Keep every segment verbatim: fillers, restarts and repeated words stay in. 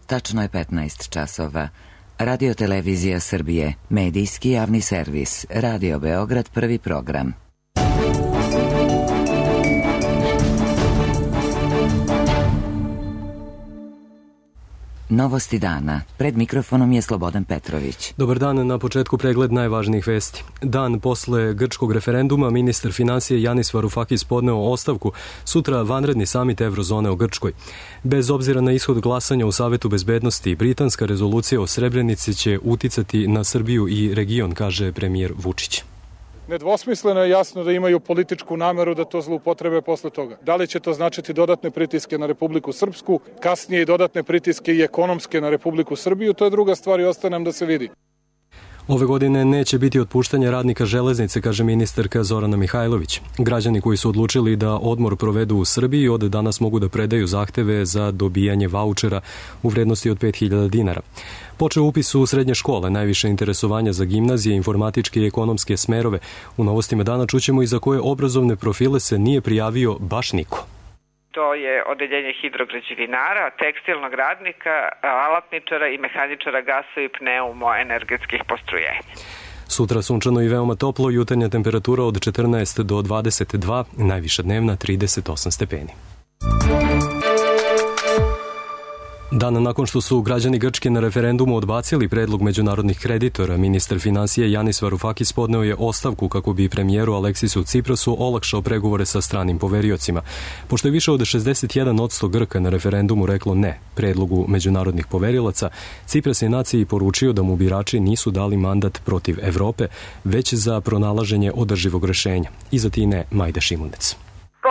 Tačno je petnaest časova. Radio Televizija Srbije, medijski javni servis, Radio Beograd, prvi program. Novosti dana. Pred mikrofonom je Slobodan Petrović. Dobar dan, na početku pregled najvažnijih vesti. Dan posle grčkog referenduma ministar finansije Yanis Varoufakis podneo ostavku, sutra vanredni samit Evrozone u Grčkoj. Bez obzira na ishod glasanja u Savetu bezbednosti, britanska rezolucija o Srebrenici će uticati na Srbiju i region, kaže premijer Vučić. Nedvosmisleno je jasno da imaju političku nameru da to zloupotrebe posle toga. Da li će to značiti dodatne pritiske na Republiku Srpsku, kasnije i dodatne pritiske i ekonomske na Republiku Srbiju, to je druga stvar i ostaje nam da se vidi. Ove godine neće biti otpuštanja radnika železnice, kaže ministarka Zorana Mihajlović. Građani koji su odlučili da odmor provedu u Srbiji od danas mogu da predaju zahteve za dobijanje vaučera u vrednosti od pet hiljada dinara. Počeo upis u srednje škole, najviše interesovanja za gimnazije, informatičke i ekonomske smerove. U novostima dana čućemo i za koje obrazovne profile se nije prijavio baš niko. To je odeljenje hidrograđevinara, tekstilnog radnika, alatničara i mehaničara gasa i pneumoenergetskih postrojenja. Sutra sunčano i veoma toplo, jutarnja temperatura od četrnaest do dvadeset dva, najviša dnevna trideset osam stepeni. Dan nakon što su građani Grčke na referendumu odbacili predlog međunarodnih kreditora, ministar finansije Yanis Varoufakis podneo je ostavku kako bi premijeru Aleksisu Ciprasu olakšao pregovore sa stranim poveriocima. Pošto je više od šezdeset jedan posto Grka na referendumu reklo ne predlogu međunarodnih poverilaca, Cipras je naciji poručio da mu birači nisu dali mandat protiv Evrope, već za pronalaženje održivog rešenja. Iza Tine Majda Šimunec.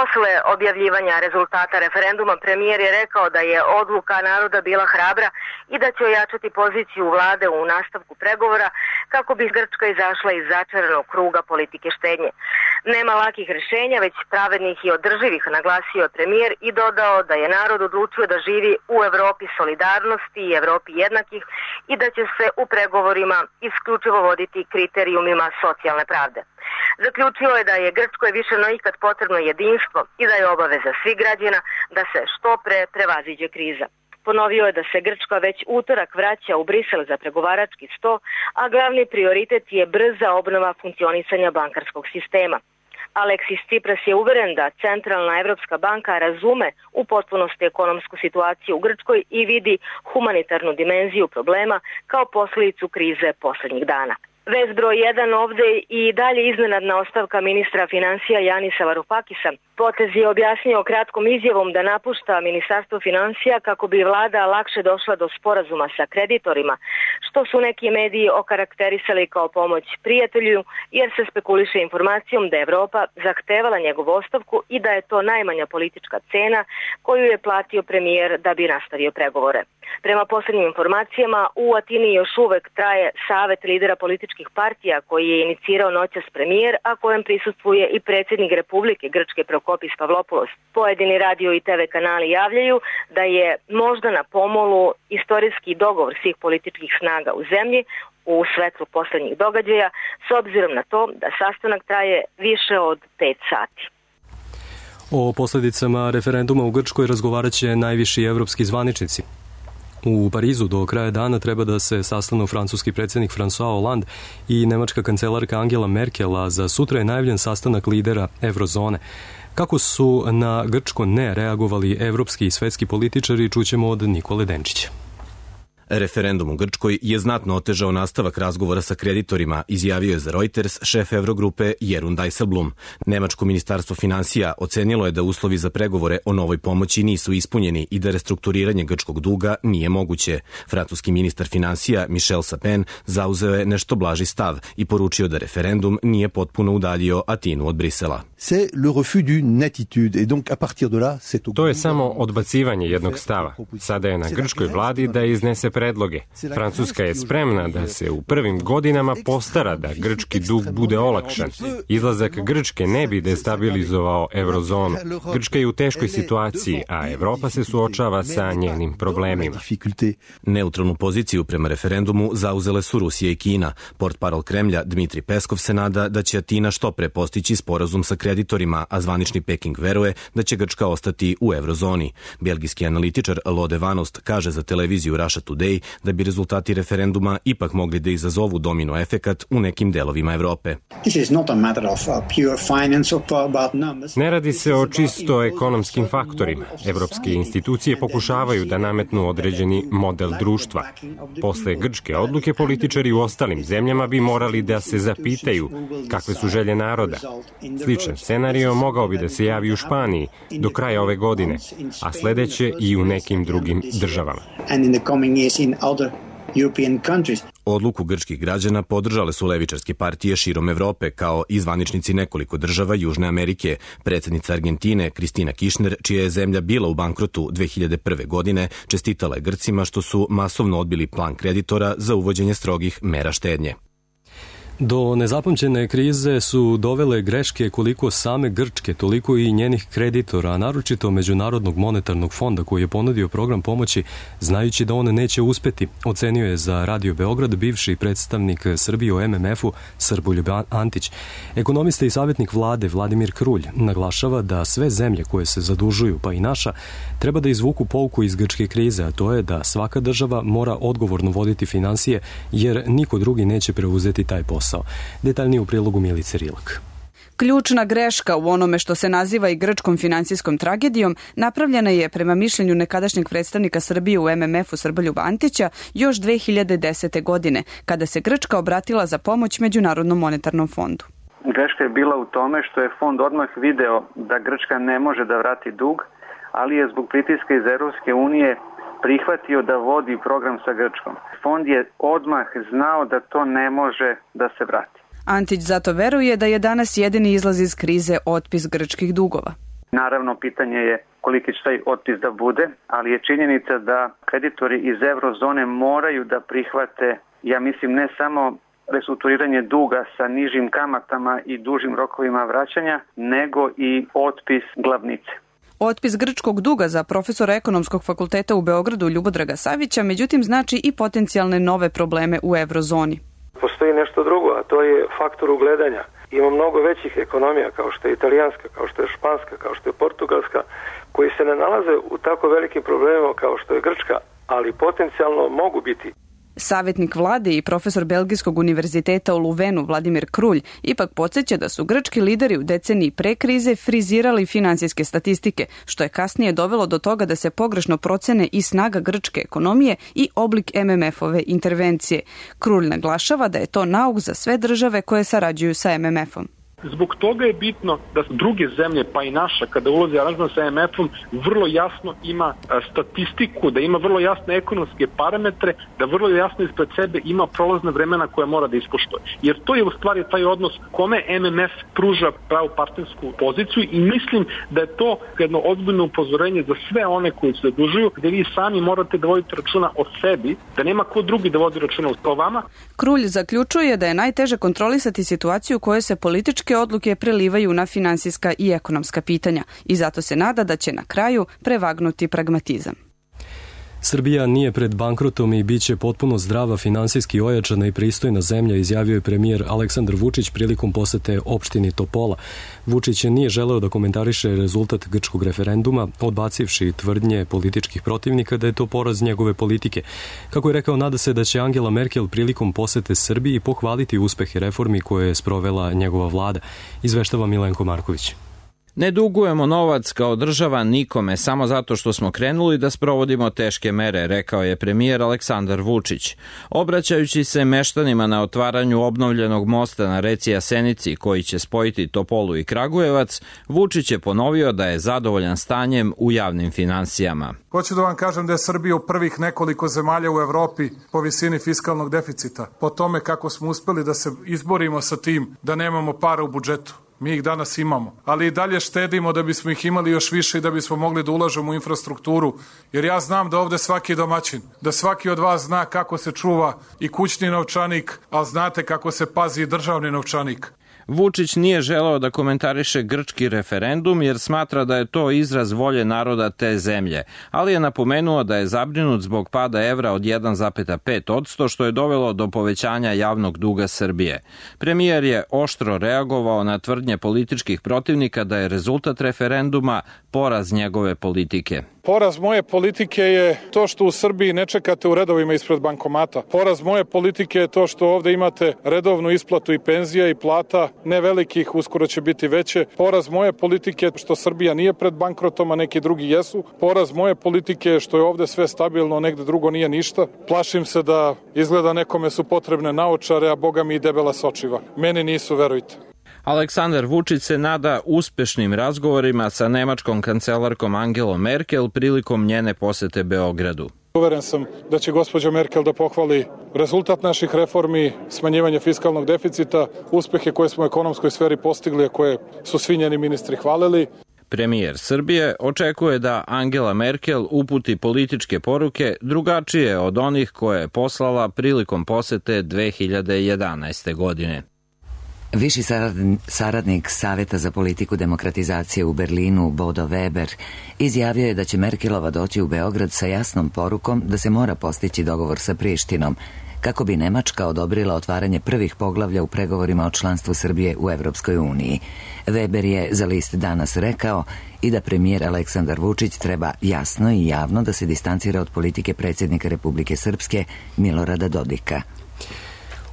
Posle objavljivanja rezultata referenduma, premijer je rekao da je odluka naroda bila hrabra i da će ojačati poziciju vlade u nastavku pregovora kako bi Grčka izašla iz začaranog kruga politike štednje. Nema lakih rešenja, već pravednih i održivih, naglasio je premijer i dodao da je narod odlučio da živi u Evropi solidarnosti i Evropi jednakih i da će se u pregovorima isključivo voditi kriterijumima socijalne pravde. Zaključio je da je Grčkoj više no ikad potrebno jedinstvo i da je obaveza svih građana da se što pre prevaziđe kriza. Ponovio je da se Grčka već utorak vraća u Brisel za pregovarački sto, a glavni prioritet je brza obnova funkcionisanja bankarskog sistema. Aleksis Cipras je uveren da Centralna Evropska banka razume u potpunosti ekonomsku situaciju u Grčkoj i vidi humanitarnu dimenziju problema kao posljedicu krize poslednjih dana. Vez broj jedan ovde i dalje iznenadna ostavka ministra financija Janisa Varoufakisa. Potez je objasnio kratkom izjavom da napušta ministarstvo financija kako bi vlada lakše došla do sporazuma sa kreditorima, što su neki mediji okarakterisali kao pomoć prijatelju, jer se spekuliše informacijom da je Evropa zahtevala njegovu ostavku i da je to najmanja politička cena koju je platio premijer da bi nastavio pregovore. Prema poslednjim informacijama, u Atini još uvek traje savet lidera političkih partija koji je inicirao noćas premijer, a kojem prisustvuje i predsjednik Republike Grčke Prokopis Pavlopoulos. Pojedini radio i te ve kanali javljaju da je možda na pomolu istorijski dogovor svih političkih snaga u zemlji u svetlu poslednjih događaja, s obzirom na to da sastanak traje više od pet sati. O posljedicama referenduma u Grčkoj razgovarat će najviši evropski zvaničnici. U Parizu do kraja dana treba da se sastanu francuski predsjednik François Hollande i nemačka kancelarka Angela Merkel, a za sutra je najavljen sastanak lidera Evrozone. Kako su na grčko ne reagovali evropski i svetski političari, čućemo od Nikole Denčića. Referendum u Grčkoj je znatno otežao nastavak razgovora sa kreditorima, izjavio je za Reuters šef Evrogrupe Jeroen Dijsselbloem. Nemačko ministarstvo finansija ocenilo je da uslovi za pregovore o novoj pomoći nisu ispunjeni i da restrukturiranje grčkog duga nije moguće. Francuski ministar finansija Michel Sapin zauzeo je nešto blaži stav i poručio da referendum nije potpuno udaljio Atinu od Brisela. To je samo odbacivanje jednog stava. Sada je na grčkoj vladi da iznese predloge. Francuska je spremna da se u prvim godinama postara da grčki dug bude olakšan. Izlazak Grčke ne bi destabilizovao eurozonu. Grčka je u teškoj situaciji, a Evropa se suočava sa njenim problemima. Neutralnu poziciju prema referendumu zauzele su Rusija i Kina. Portparol Kremlja Dmitri Peskov se nada da će Atina što pre postići sporazum sa kreditorima, a zvanični Peking veruje da će Grčka ostati u eurozoni. Belgijski analitičar Lode Vanost kaže za televiziju Russia Today da bi rezultati referenduma ipak mogli da izazovu domino efekat u nekim delovima Evrope. Ne radi se o čisto ekonomskim faktorima. Evropske institucije pokušavaju da nametnu određeni model društva. Posle grčke odluke političari u ostalim zemljama bi morali da se zapitaju kakve su želje naroda. Sličan scenario mogao bi da se javi u Španiji do kraja ove godine, a sledeće i u nekim drugim državama. Odluku grčkih građana podržale su levičarske partije širom Evrope, kao i zvaničnici nekoliko država Južne Amerike. Predsjednica Argentine Kristina Kirchner, čija je zemlja bila u bankrotu dve hiljade prve. godine, čestitala je Grcima što su masovno odbili plan kreditora za uvođenje strogih mera štednje. Do nezapamćene krize su dovele greške koliko same Grčke, toliko i njenih kreditora, a naročito Međunarodnog monetarnog fonda koji je ponudio program pomoći, znajući da on neće uspeti, ocenio je za Radio Beograd bivši predstavnik Srbije u M M F-u Srboljub Antić. Ekonomista i savjetnik vlade Vladimir Krulj naglašava da sve zemlje koje se zadužuju, pa i naša, treba da izvuku pouku iz grčke krize, a to je da svaka država mora odgovorno voditi finansije, jer niko drugi neće preuzeti taj posao. Detaljnije u prilogu Milice Rilak. Ključna greška u onome što se naziva i grčkom finansijskom tragedijom napravljena je, prema mišljenju nekadašnjeg predstavnika Srbije u M M F-u Srboljuba Antića, još dve hiljade desete. godine, kada se Grčka obratila za pomoć Međunarodnom monetarnom fondu. Greška je bila u tome što je fond odmah video da Grčka ne može da vrati dug, ali je zbog pritiska iz Evropske unije prihvatio da vodi program sa Grčkom. Fond je odmah znao da to ne može da se vrati. Antić zato veruje da je danas jedini izlaz iz krize otpis grčkih dugova. Naravno, pitanje je koliki će taj otpis da bude, ali je činjenica da kreditori iz eurozone moraju da prihvate, ja mislim, ne samo restrukturiranje duga sa nižim kamatama i dužim rokovima vraćanja, nego i otpis glavnice. Otpis grčkog duga za profesora ekonomskog fakulteta u Beogradu Ljubodraga Savića, međutim, znači i potencijalne nove probleme u eurozoni. Postoji nešto drugo, a to je faktor ugledanja. Ima mnogo većih ekonomija, kao što je italijanska, kao što je španska, kao što je portugalska, koji se ne nalaze u tako velikim problemima kao što je Grčka, ali potencijalno mogu biti. Savjetnik vlade i profesor Belgijskog univerziteta u Luvenu Vladimir Krulj ipak podsjeća da su grčki lideri u deceniji pre krize frizirali finansijske statistike, što je kasnije dovelo do toga da se pogrešno procene i snaga grčke ekonomije i oblik M M F-ove intervencije. Krulj naglašava da je to nauk za sve države koje sarađuju sa M M F-om. Zbog toga je bitno da druge zemlje, pa i naša, kada ulazi aranžman sa M M F-om, vrlo jasno ima statistiku, da ima vrlo jasne ekonomske parametre, da vrlo jasno ispred sebe ima prolazne vremena koje mora da ispoštuje. Jer to je u stvari taj odnos kome M M F pruža pravu partnersku poziciju i mislim da je to jedno ozbiljno upozorenje za sve one koji se zadužuju, gde vi sami morate da vodite računa o sebi, da nema ko drugi da vodi računa o vama. Krulj zaključuje da je najteže kontrolisati situaciju u kojoj se političke odluke prelivaju na finansijska i ekonomska pitanja i zato se nada da će na kraju prevagnuti pragmatizam. Srbija nije pred bankrotom i bit će potpuno zdrava, finansijski ojačana i pristojna zemlja, izjavio je premijer Aleksandar Vučić prilikom posete opštini Topola. Vučić nije želeo da komentariše rezultat grčkog referenduma, odbacivši tvrdnje političkih protivnika da je to poraz njegove politike. Kako je rekao, nada se da će Angela Merkel prilikom posete Srbiji pohvaliti uspehe reformi koje je sprovela njegova vlada, izveštava Milenko Marković. Ne dugujemo novac kao država nikome samo zato što smo krenuli da sprovodimo teške mere, rekao je premijer Aleksandar Vučić. Obraćajući se meštanima na otvaranju obnovljenog mosta na reci Jasenici koji će spojiti Topolu i Kragujevac, Vučić je ponovio da je zadovoljan stanjem u javnim finansijama. Hoću da vam kažem da je Srbija u prvih nekoliko zemalja u Evropi po visini fiskalnog deficita, po tome kako smo uspeli da se izborimo sa tim da nemamo para u budžetu. Mi ih danas imamo, ali i dalje štedimo da bismo ih imali još više i da bismo mogli da ulažemo u infrastrukturu, jer ja znam da ovde svaki domaćin, da svaki od vas zna kako se čuva i kućni novčanik, a znate kako se pazi i državni novčanik. Vučić nije želeo da komentariše grčki referendum jer smatra da je to izraz volje naroda te zemlje, ali je napomenuo da je zabrinut zbog pada evra od jedan zarez pet posto što je dovelo do povećanja javnog duga Srbije. Premijer je oštro reagovao na tvrdnje političkih protivnika da je rezultat referenduma poraz njegove politike. Poraz moje politike je to što u Srbiji ne čekate u redovima ispred bankomata. Poraz moje politike je to što ovde imate redovnu isplatu i penzija i plata, ne velikih, uskoro će biti veće. Poraz moje politike je što Srbija nije pred bankrotom, a neki drugi jesu. Poraz moje politike je što je ovde sve stabilno, negde drugo nije ništa. Plašim se da izgleda nekome su potrebne naočare, a boga mi i debela sočiva. Meni nisu, verujte. Aleksandar Vučić se nada uspešnim razgovorima sa nemačkom kancelarkom Angelom Merkel prilikom njene posete Beogradu. Uveren sam da će gospođa Merkel da pohvali rezultat naših reformi, smanjivanje fiskalnog deficita, uspehe koje smo u ekonomskoj sferi postigli, a koje su svi njeni ministri hvalili. Premijer Srbije očekuje da Angela Merkel uputi političke poruke drugačije od onih koje je poslala prilikom posete dve hiljade jedanaeste. godine. Viši saradnik Saveta za politiku demokratizacije u Berlinu, Bodo Weber, izjavio je da će Merkelova doći u Beograd sa jasnom porukom da se mora postići dogovor sa Prištinom, kako bi Nemačka odobrila otvaranje prvih poglavlja u pregovorima o članstvu Srbije u Evropskoj uniji. Weber je za list Danas rekao i da premijer Aleksandar Vučić treba jasno i javno da se distancira od politike predsjednika Republike Srpske Milorada Dodika.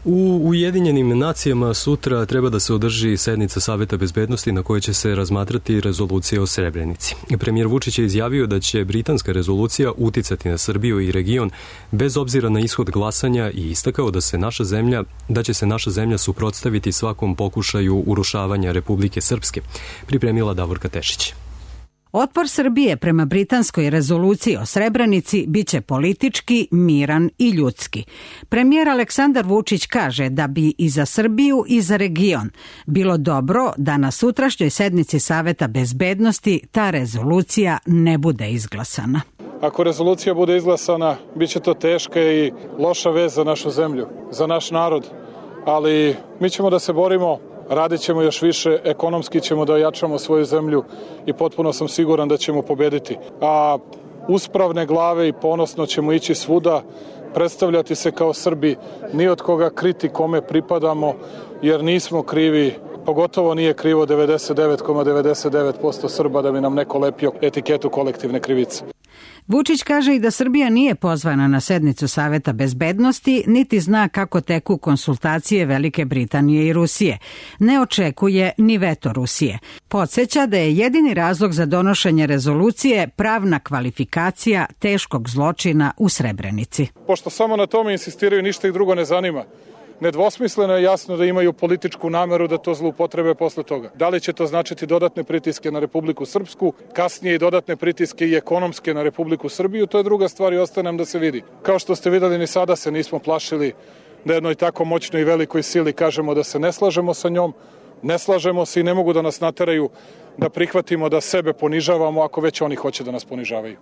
U Ujedinjenim nacijama sutra treba da se održi sednica Saveta bezbednosti na kojoj će se razmatrati rezolucija o Srebrenici. Premijer Vučić je izjavio da će britanska rezolucija uticati na Srbiju i region bez obzira na ishod glasanja i istakao da se naša zemlja, da će se naša zemlja suprotstaviti svakom pokušaju urušavanja Republike Srpske, pripremila Davorka Tešić. Otpor Srbije prema britanskoj rezoluciji o Srebrenici biće politički, miran i ljudski. Premijer Aleksandar Vučić kaže da bi i za Srbiju i za region bilo dobro da na sutrašnjoj sednici Saveta bezbednosti ta rezolucija ne bude izglasana. Ako rezolucija bude izglasana, bit će to teška i loša vez za našu zemlju, za naš narod, ali mi ćemo da se borimo. Radit ćemo još više, ekonomski ćemo da ojačamo svoju zemlju i potpuno sam siguran da ćemo pobediti. A uspravne glave i ponosno ćemo ići svuda, predstavljati se kao Srbi, ni od koga kriti kome pripadamo, jer nismo krivi, pogotovo nije krivo devedeset devet zarez devedeset devet posto Srba da bi nam neko lepio etiketu kolektivne krivice. Vučić kaže i da Srbija nije pozvana na sednicu Saveta bezbednosti, niti zna kako teku konsultacije Velike Britanije i Rusije. Ne očekuje ni veto Rusije. Podsjeća da je jedini razlog za donošenje rezolucije pravna kvalifikacija teškog zločina u Srebrenici. Pošto samo na tome insistiraju, ništa ih drugo ne zanima. Nedvosmisleno je jasno da imaju političku nameru da to zloupotrebe posle toga. Da li će to značiti dodatne pritiske na Republiku Srpsku, kasnije i dodatne pritiske i ekonomske na Republiku Srbiju, to je druga stvar i ostaje nam da se vidi. Kao što ste videli, ni sada se nismo plašili da jednoj tako moćnoj i velikoj sili kažemo da se ne slažemo sa njom, ne slažemo se i ne mogu da nas nateraju da prihvatimo da sebe ponižavamo ako već oni hoće da nas ponižavaju.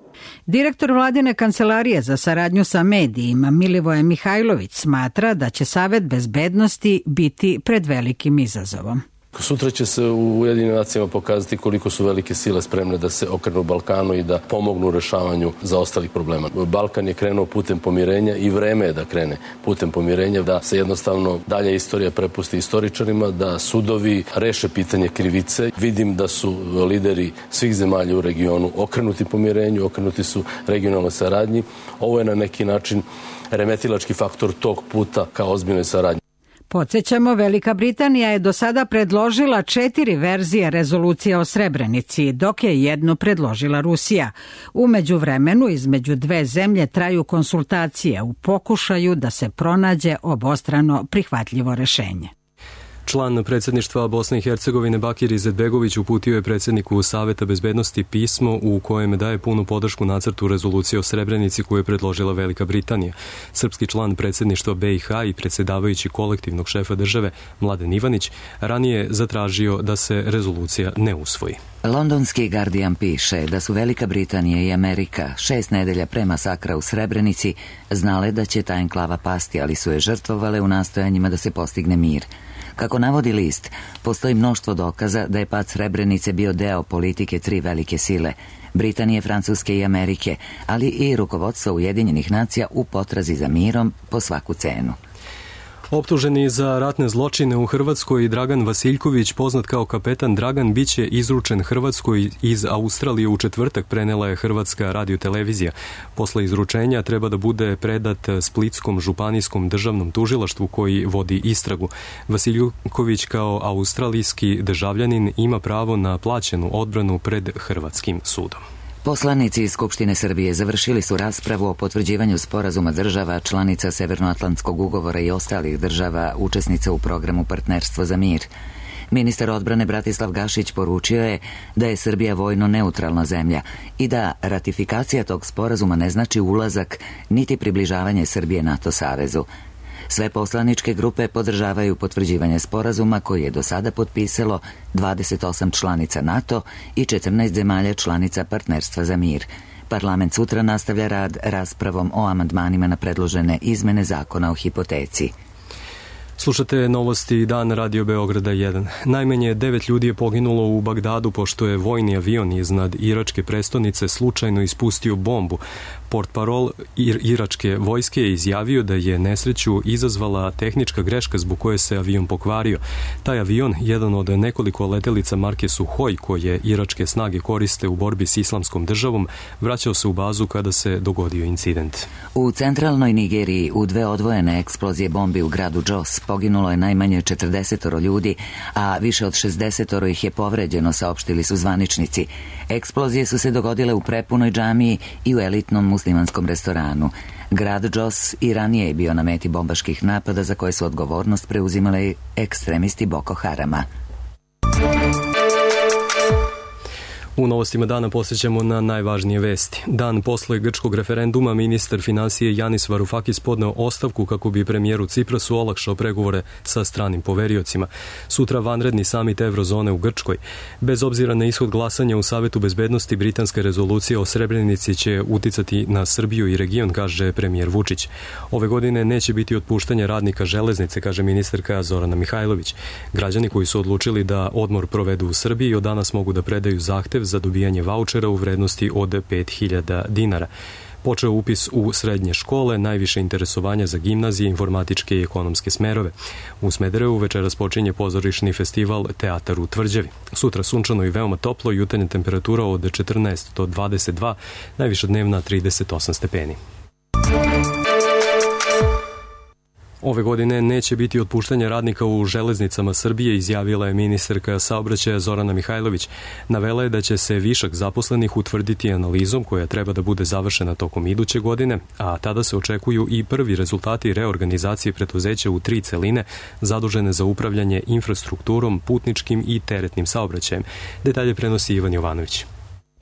Direktor vladine kancelarije za saradnju sa medijima Milivoje Mihajlović smatra da će Savet bezbednosti biti pred velikim izazovom. Sutra će se u Ujedinjenim nacijama pokazati koliko su velike sile spremne da se okrenu Balkanu i da pomognu u rešavanju zaostalih problema. Balkan je krenuo putem pomirenja i vreme je da krene putem pomirenja, da se jednostavno dalje istorija prepusti istoričarima, da sudovi reše pitanje krivice. Vidim da su lideri svih zemalja u regionu okrenuti pomirenju, okrenuti su regionalnoj saradnji. Ovo je na neki način remetilački faktor tog puta ka ozbiljnoj saradnji. Podsjećamo, Velika Britanija je do sada predložila četiri verzije rezolucije o Srebrenici, dok je jednu predložila Rusija. U međuvremenu između dve zemlje traju konsultacije u pokušaju da se pronađe obostrano prihvatljivo rešenje. Član predsjedništva Bosne i Hercegovine Bakir Izetbegović uputio je predsjedniku Saveta bezbednosti pismo u kojem daje punu podršku nacrtu rezolucije o Srebrenici koju je predložila Velika Britanija. Srpski član predsjedništva B i H i predsjedavajući kolektivnog šefa države Mladen Ivanić ranije zatražio da se rezolucija ne usvoji. Londonski Guardian piše da su Velika Britanija i Amerika šest nedelja pre masakra u Srebrenici znale da će ta enklava pasti, ali su je žrtvovale u nastojanjima da se postigne mir. Kako navodi list, postoji mnoštvo dokaza da je pad Srebrenice bio deo politike tri velike sile, Britanije, Francuske i Amerike, ali i rukovodstva Ujedinjenih nacija u potrazi za mirom po svaku cenu. Optuženi za ratne zločine u Hrvatskoj Dragan Vasiljković, poznat kao kapetan Dragan, biće izručen Hrvatskoj iz Australije u četvrtak, prenela je Hrvatska radiotelevizija. Posle izručenja treba da bude predat Splitskom županijskom državnom tužilaštvu koji vodi istragu. Vasiljković kao australijski državljanin ima pravo na plaćenu odbranu pred Hrvatskim sudom. Poslanici iz Skupštine Srbije završili su raspravu o potvrđivanju sporazuma država članica Severnoatlantskog ugovora i ostalih država učesnica u programu Partnerstvo za mir. Ministar odbrane Bratislav Gašić poručio je da je Srbija vojno neutralna zemlja i da ratifikacija tog sporazuma ne znači ulazak niti približavanje Srbije NATO savezu. Sve poslaničke grupe podržavaju potvrđivanje sporazuma koji je do sada potpisalo dvadeset osam članica NATO i četrnaest zemalja članica Partnerstva za mir. Parlament sutra nastavlja rad raspravom o amandmanima na predložene izmene zakona o hipoteci. Slušate novosti Dan Radio Beograda jedan. Najmanje devet ljudi je poginulo u Bagdadu pošto je vojni avion iznad iračke prestonice slučajno ispustio bombu. Portparol iračke vojske je izjavio da je nesreću izazvala tehnička greška zbog koje se avion pokvario. Taj avion, jedan od nekoliko letelica marke Suhoj koje iračke snage koriste u borbi s islamskom državom, vraćao se u bazu kada se dogodio incident. U centralnoj Nigeriji u dve odvojene eksplozije bombi u gradu Jos poginulo je najmanje četrdeset ljudi, a više od šezdeset ih je povređeno, saopštili su zvaničnici. Eksplozije su se dogodile u prepunoj džamiji i u elitnom muslimanskom restoranu. Grad Jos i ranije je bio na meti bombaških napada za koje su odgovornost preuzimali ekstremisti Boko Harama. U novostima dana posjećamo na najvažnije vesti. Dan posle grčkog referenduma ministar finansije Janis Varoufakis podneo ostavku kako bi premijeru Ciprasu olakšao pregovore sa stranim poveriocima. Sutra vanredni samit Eurozone u Grčkoj. Bez obzira na ishod glasanja u Savetu bezbednosti, britanska rezolucija o Srebrenici će uticati na Srbiju i region, kaže premijer Vučić. Ove godine neće biti otpuštanja radnika železnice, kaže ministarka Zorana Mihajlović. Građani koji su odlučili da odmor provedu u Srbiji od danas mogu da predaju zahtev za dobijanje vaučera u vrednosti od pet hiljada dinara. Počeo upis u srednje škole, najviše interesovanja za gimnazije, informatičke i ekonomske smerove. U Smederevu večeras počinje pozorišni festival Teatar u Tvrđavi. Sutra sunčano i veoma toplo, jutarnja temperatura od četrnaest do dvadeset dva, najviša dnevna trideset osam stepeni. Ove godine neće biti otpuštanja radnika u železnicama Srbije, izjavila je ministarka saobraćaja Zorana Mihajlović. Navela je da će se višak zaposlenih utvrditi analizom koja treba da bude završena tokom iduće godine, a tada se očekuju i prvi rezultati reorganizacije preduzeća u tri celine zadužene za upravljanje infrastrukturom, putničkim i teretnim saobraćajem. Detalje prenosi Ivan Jovanović.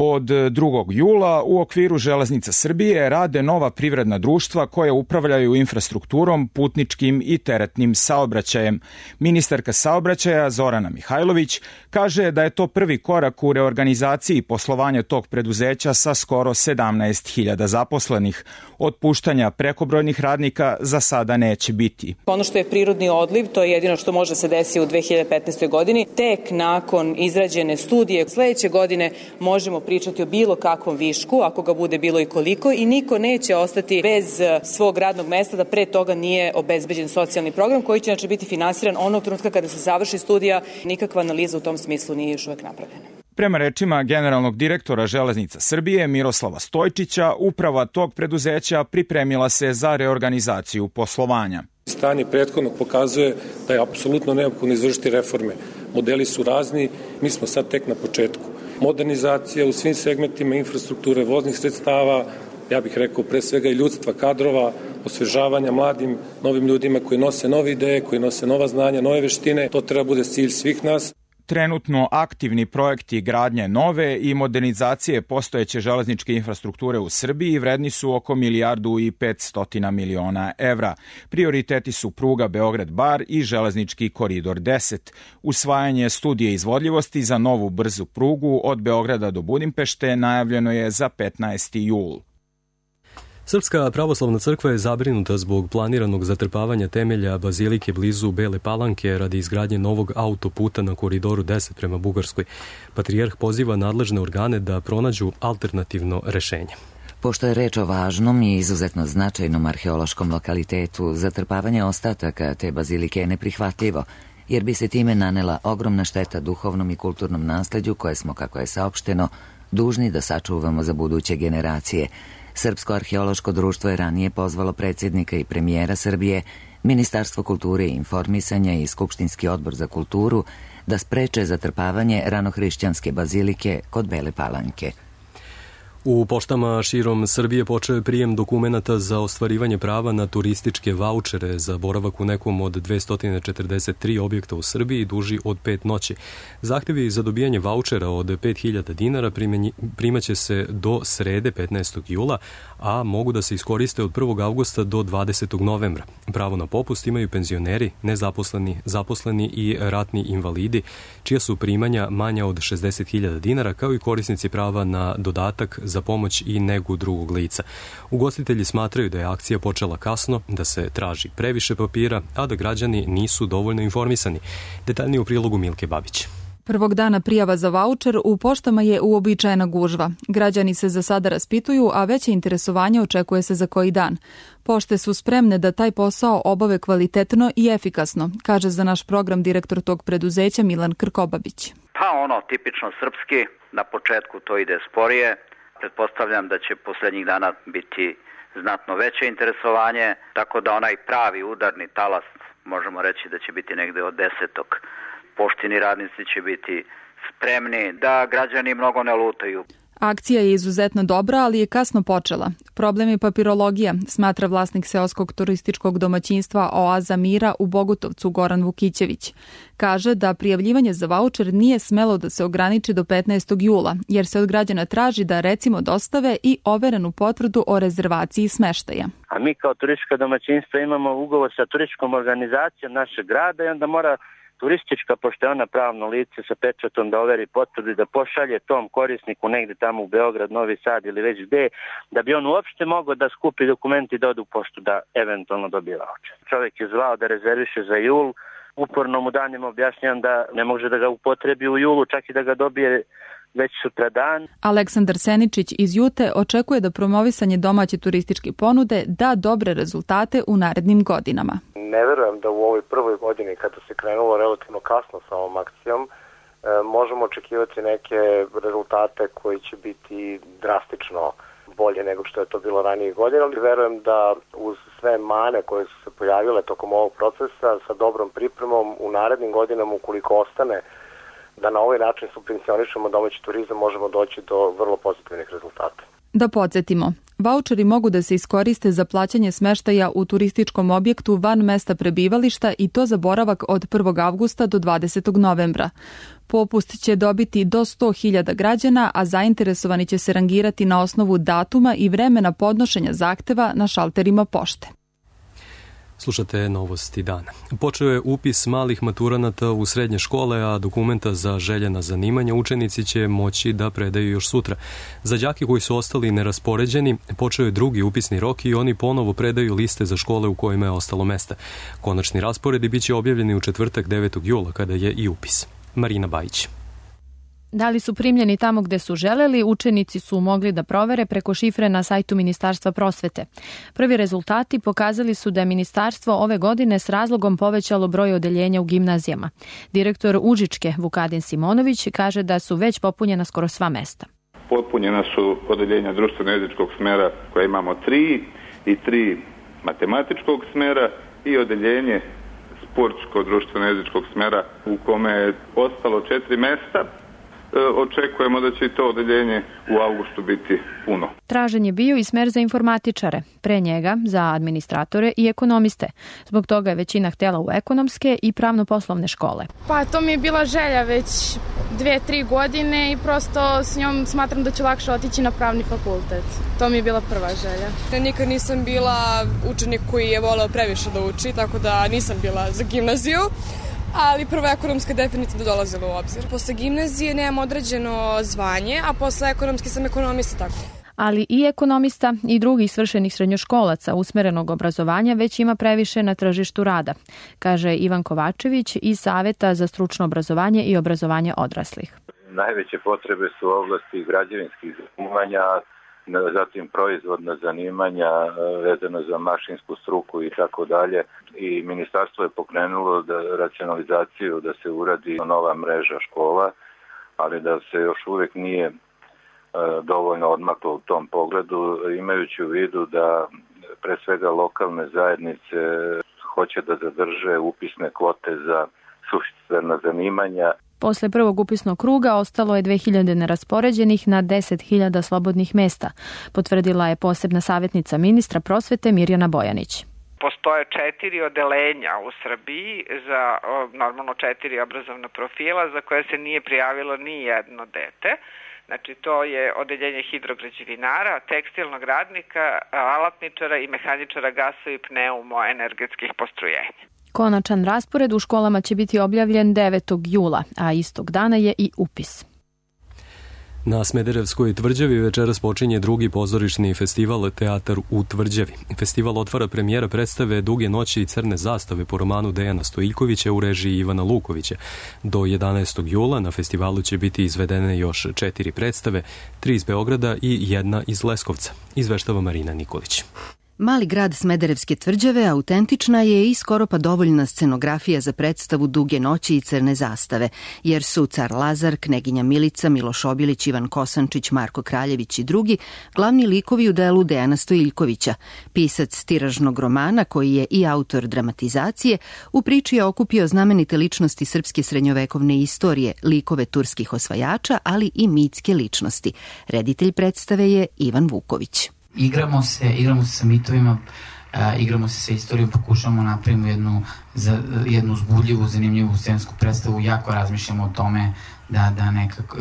Od drugog jula u okviru Železnica Srbije rade nova privredna društva koja upravljaju infrastrukturom, putničkim i teretnim saobraćajem. Ministarka saobraćaja Zorana Mihajlović kaže da je to prvi korak u reorganizaciji poslovanja tog preduzeća sa skoro sedamnaest hiljada zaposlenih. Otpuštanja prekobrojnih radnika za sada neće biti. Ono što je prirodni odliv, to je jedino što može se desiti u dve hiljade petnaestoj. godini. Tek nakon izrađene studije sledeće godine možemo pričati o bilo kakvom višku, ako ga bude bilo i koliko, i niko neće ostati bez svog radnog mesta da pre toga nije obezbeđen socijalni program koji će znači biti finansiran onog trenutka kada se završi studija. Nikakva analiza u tom smislu nije još uvek napravljena. Prema rečima generalnog direktora Železnica Srbije Miroslava Stojčića, uprava tog preduzeća pripremila se za reorganizaciju poslovanja. Stanje prethodnog pokazuje da je apsolutno neophodno izvršiti reforme. Modeli su razni, mi smo sad tek na početku. Modernizacija u svim segmentima infrastrukture, voznih sredstava, ja bih rekao pre svega i ljudstva, kadrova, osvežavanja mladim, novim ljudima koji nose nove ideje, koji nose nova znanja, nove veštine. To treba bude cilj svih nas. Trenutno aktivni projekti gradnje nove i modernizacije postojeće železničke infrastrukture u Srbiji vredni su oko milijardu i petstotina miliona evra. Prioriteti su pruga Beograd-Bar i železnički koridor deset. Usvajanje studije izvodljivosti za novu brzu prugu od Beograda do Budimpešte najavljeno je za petnaesti jul. Srpska pravoslavna crkva je zabrinuta zbog planiranog zatrpavanja temelja bazilike blizu Bele Palanke radi izgradnje novog autoputa na koridoru deset prema Bugarskoj. Patrijarh poziva nadležne organe da pronađu alternativno rešenje. Pošto je reč o važnom i izuzetno značajnom arheološkom lokalitetu, zatrpavanje ostataka te bazilike je neprihvatljivo, jer bi se time nanela ogromna šteta duhovnom i kulturnom nasleđu koje smo, kako je saopšteno, dužni da sačuvamo za buduće generacije. Srpsko arheološko društvo je ranije pozvalo predsjednika i premijera Srbije, Ministarstvo kulture i informisanja i Skupštinski odbor za kulturu da spreče zatrpavanje ranohrišćanske bazilike kod Bele Palanke. U poštama širom Srbije počeo je prijem dokumenata za ostvarivanje prava na turističke vaučere za boravak u nekom od dvesta četrdeset tri objekta u Srbiji duži od pet noći. Zahtevi za dobijanje vaučera od pet hiljada dinara primaće se do srede petnaestog jula, a mogu da se iskoriste od prvog avgusta do dvadesetog novembra. Pravo na popust imaju penzioneri, nezaposleni, zaposleni i ratni invalidi, čija su primanja manja od šezdeset hiljada dinara, kao i korisnici prava na dodatak za pomoć i negu drugog lica. Ugostitelji smatraju da je akcija počela kasno, da se traži previše papira, a da građani nisu dovoljno informisani. Detaljnije u prilogu Milke Babić. Prvog dana prijava za vaučer u poštama je uobičajena gužva. Građani se za sada raspituju, a veće interesovanje očekuje se za koji dan. Pošte su spremne da taj posao obave kvalitetno i efikasno, kaže za naš program direktor tog preduzeća Milan Krkobabić. Pa ono, tipično srpski, na početku to ide sporije. Pretpostavljam da će posljednjih dana biti znatno veće interesovanje, tako da onaj pravi udarni talas možemo reći da će biti negde od desetog. Poštini radnici će biti spremni da građani mnogo ne lutaju. Akcija je izuzetno dobra, ali je kasno počela. Problem je papirologija, smatra vlasnik seoskog turističkog domaćinstva Oaza Mira u Bogutovcu Goran Vukićević. Kaže da prijavljivanje za vaučer nije smelo da se ograniči do petnaestog jula, jer se od građana traži da recimo dostave i overenu potvrdu o rezervaciji smeštaja. A mi kao turistička domaćinstva imamo ugovor sa turističkom organizacijom našeg grada i onda mora turistička, pošto je ona pravno lice sa pečatom, da overi potvrdu i da pošalje tom korisniku negde tamo u Beograd, Novi Sad ili već gde, da bi on uopšte mogao da skupi dokumenti i da ode u poštu da eventualno dobije vaučer. Čovjek je zvao da rezerviše za jul, uporno mu danima objašnjam da ne može da ga upotrebi u julu, čak i da ga dobije već sutra dan. Aleksandar Seničić iz Jute očekuje da promovisanje domaće turističke ponude da dobre rezultate u narednim godinama. Ne verujem da u ovoj prvoj godini, kada se krenulo relativno kasno sa ovom akcijom, e, možemo očekivati neke rezultate koji će biti drastično bolje nego što je to bilo ranije godine, ali verujem da uz sve mane koje su se pojavile tokom ovog procesa, sa dobrom pripremom u narednim godinama, ukoliko ostane da na ovaj način subvencionišemo domaći turizam, možemo doći do vrlo pozitivnih rezultata. Da podsjetimo, vaučeri mogu da se iskoriste za plaćanje smeštaja u turističkom objektu van mesta prebivališta i to za boravak od prvog avgusta do dvadesetog novembra. Popust će dobiti do sto hiljada građana, a zainteresovani će se rangirati na osnovu datuma i vremena podnošenja zahteva na šalterima pošte. Slušate novosti dana. Počeo je upis malih maturanata u srednje škole, a dokumenta za željena zanimanja učenici će moći da predaju još sutra. Za đake koji su ostali neraspoređeni, počeo je drugi upisni rok i oni ponovo predaju liste za škole u kojima je ostalo mesta. Konačni rasporedi biće objavljeni u četvrtak devetog jula, kada je i upis. Marina Bajić. Da li su primljeni tamo gde su želeli, učenici su mogli da provere preko šifre na sajtu Ministarstva prosvete. Prvi rezultati pokazali su da je ministarstvo ove godine s razlogom povećalo broj odeljenja u gimnazijama. Direktor Užičke Vukadin Simonović kaže da su već popunjena skoro sva mesta. Popunjena su odeljenja društveno-jezičkog smera koja imamo tri i tri matematičkog smera i odeljenje sportsko-društveno-jezičkog smera u kome je ostalo četiri mesta. Očekujemo da će i to odeljenje u avgustu biti puno. Tražen je bio i smer za informatičare, pre njega za administratore i ekonomiste. Zbog toga je većina htjela u ekonomske i pravno-poslovne škole. Pa to mi je bila želja već dve, tri godine i prosto s njom smatram da ću lakše otići na pravni fakultet. To mi je bila prva želja. Nikad nisam bila učenik koji je voleo previše da uči, tako da nisam bila za gimnaziju. Ali prva ekonomska definitivno dolazila u obzir. Posle gimnazije nemam određeno zvanje, a posle ekonomske sam ekonomista tako. Ali i ekonomista i drugih svršenih srednjoškolaca usmerenog obrazovanja već ima previše na tržištu rada, kaže Ivan Kovačević iz Saveta za stručno obrazovanje i obrazovanje odraslih. Najveće potrebe su u oblasti građevinskih zanimanja, zatim proizvodna zanimanja vezano za mašinsku struku i tako dalje. I ministarstvo je pokrenulo da racionalizaciju, da se uradi nova mreža škola, ali da se još uvijek nije dovoljno odmaklo u tom pogledu, imajući u vidu da pre svega lokalne zajednice hoće da zadrže upisne kvote za suštvena zanimanja. Posle prvog upisnog kruga ostalo je dve hiljade neraspoređenih na deset hiljada slobodnih mesta, potvrdila je posebna savjetnica ministra prosvete Mirjana Bojanić. Postoje četiri odeljenja u Srbiji za normalno četiri obrazovna profila za koje se nije prijavilo ni jedno dete. Znači to je odeljenje hidrograđevinara, tekstilnog radnika, alatničara i mehaničara gasa i pneumoenergetskih postrojenja. Konačan raspored u školama će biti objavljen devetog jula, a istog dana je i upis. Na Smederevskoj tvrđavi večeras počinje drugi pozorišni festival Teatar u tvrđavi. Festival otvara premijera predstave Duge noći i crne zastave po romanu Dejana Stojiljkovića u režiji Ivana Lukovića. Do jedanaestog jula na festivalu će biti izvedene još četiri predstave, tri iz Beograda i jedna iz Leskovca, izveštava Marina Nikolić. Mali grad Smederevske tvrđave autentična je i skoro pa dovoljna scenografija za predstavu Duge noći i crne zastave, jer su car Lazar, kneginja Milica, Miloš Obilić, Ivan Kosančić, Marko Kraljević i drugi glavni likovi u delu Dejana Stojiljkovića. Pisac tiražnog romana, koji je i autor dramatizacije, u priči je okupio znamenite ličnosti srpske srednjovekovne istorije, likove turskih osvajača, ali i mitske ličnosti. Reditelj predstave je Ivan Vuković. Igramo se, igramo se sa mitovima, uh, igramo se sa istorijom, pokušamo napravimo jednu, za, jednu uzbudljivu, zanimljivu scensku predstavu, jako razmišljamo o tome da, da nekako,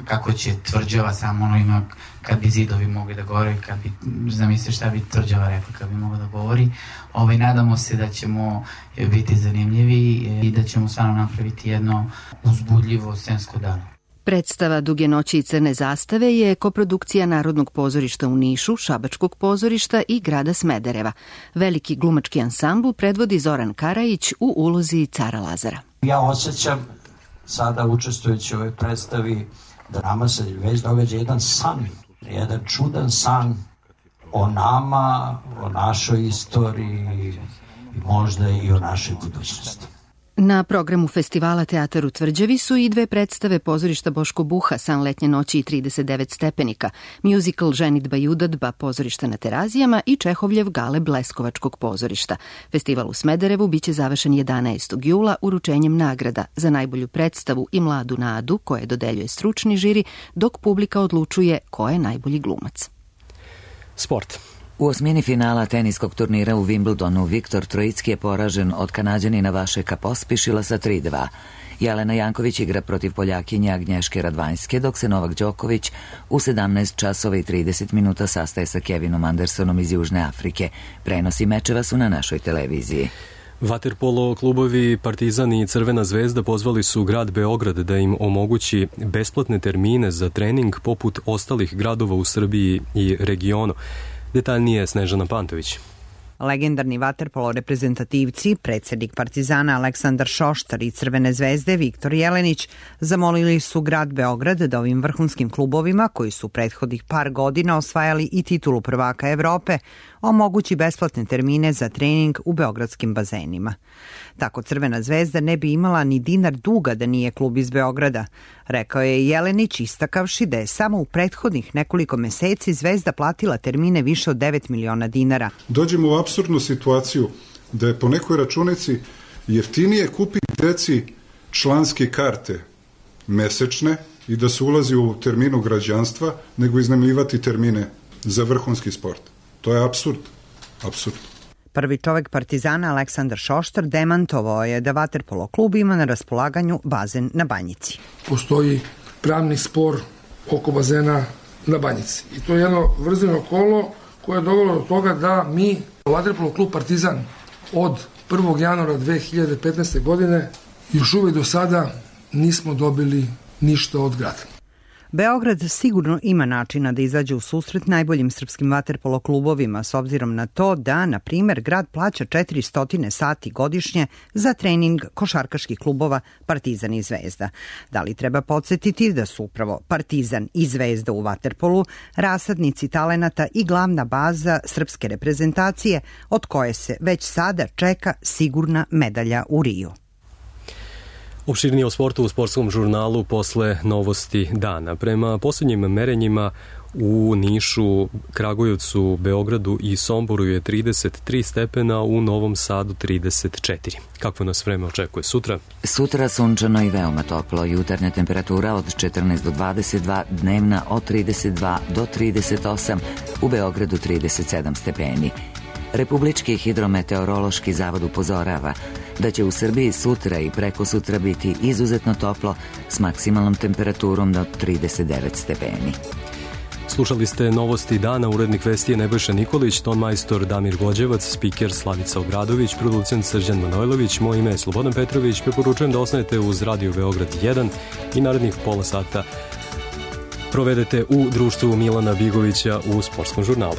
kako će tvrđava samo ono ima, kad bi zidovi mogli da govore, kad bi, zamisliš šta bi tvrđava rekla kad bi mogla da govori. Ovaj, nadamo se da ćemo biti zanimljivi i da ćemo stvarno napraviti jedno uzbudljivo scensko delo. Predstava Duge noći i crne zastave je koprodukcija Narodnog pozorišta u Nišu, Šabačkog pozorišta i grada Smedereva. Veliki glumački ansambl predvodi Zoran Karajić u ulozi cara Lazara. Ja osjećam sada učestvujući u ovoj predstavi da nama se već događa jedan san, jedan čudan san o nama, o našoj istoriji i možda i o našoj budućnosti. Na programu festivala Teatar u tvrđavi su i dve predstave pozorišta Boško Buha, San letnje noći i trideset devet stepenika, muzikal Ženidba i udadba pozorišta na Terazijama i Čehovljev Galeb Leskovačkog pozorišta. Festival u Smederevu biće završen jedanaestog jula uručenjem nagrada za najbolju predstavu i mladu nadu koje dodeljuje stručni žiri, dok publika odlučuje ko je najbolji glumac. Sport. U osmini finala teniskog turnira u Wimbledonu Viktor Trojicki je poražen od Kanađanina Vašeka Pospišila sa tri dva. Jelena Janković igra protiv Poljakinje Agnješke Radvanjske, dok se Novak Đoković u sedamnaest časova i trideset minuta sastaje sa Kevinom Andersonom iz Južne Afrike. Prenosi mečeva su na našoj televiziji. Vaterpolo klubovi Partizan i Crvena zvezda pozvali su grad Beograd da im omogući besplatne termine za trening poput ostalih gradova u Srbiji i regionu. Detaljnije Snežana Pantović. Legendarni vaterpolo reprezentativci, predsjednik Partizana Aleksandar Šoštar i Crvene zvezde Viktor Jelenić zamolili su grad Beograd da ovim vrhunskim klubovima, koji su prethodnih par godina osvajali i titulu prvaka Evrope, omogući besplatne termine za trening u beogradskim bazenima. Tako Crvena zvezda ne bi imala ni dinar duga da nije klub iz Beograda, rekao je Jelenić, istakavši da je samo u prethodnih nekoliko meseci Zvezda platila termine više od devet miliona dinara. Dođemo u apsurdnu situaciju da je po nekoj računici jeftinije kupiti deci članske karte mesečne i da se ulazi u terminu građanstva nego iznajmljivati termine za vrhunski sport. To je apsurd. Apsurd. Prvi čovek Partizana Aleksandar Šoštar demantovao je da vaterpolo klub ima na raspolaganju bazen na Banjici. Postoji pravni spor oko bazena na Banjici. I to je jedno vrzino kolo koje je dovelo do toga da mi, vaterpolo klub Partizan, od prvog januara dve hiljade petnaeste. godine još uvijek do sada nismo dobili ništa od grada. Beograd sigurno ima načina da izađe u susret najboljim srpskim vaterpolo klubovima s obzirom na to da, na primer, grad plaća četiristo sati godišnje za trening košarkaških klubova Partizan i Zvezda. Da li treba podsjetiti da su upravo Partizan i Zvezda u vaterpolu rasadnici talenata i glavna baza srpske reprezentacije od koje se već sada čeka sigurna medalja u Riju. Opširnije o sportu u sportskom žurnalu posle novosti dana. Prema poslednjim merenjima u Nišu, Kragujevcu, Beogradu i Somboru je trideset tri stepena, u Novom Sadu trideset četiri. Kakvo nas vreme očekuje sutra? Sutra sunčano i veoma toplo. Jutarnja temperatura od četrnaest do dvadeset dva, dnevna od trideset dva do trideset osam, u Beogradu trideset sedam stepeni. Republički hidrometeorološki zavod upozorava da će u Srbiji sutra i preko sutra biti izuzetno toplo s maksimalnom temperaturom do trideset devet stepeni. Slušali ste novosti dana, urednik vesti je Nebojša Nikolić, ton majstor Damir Gođevac, spiker Slavica Obradović, producent Srđan Manojlović, moje ime je Slobodan Petrović, preporučujem da ostanete uz Radio Beograd jedan i narednih pola sata provedete u društvu Milana Bigovića u sportskom žurnalu.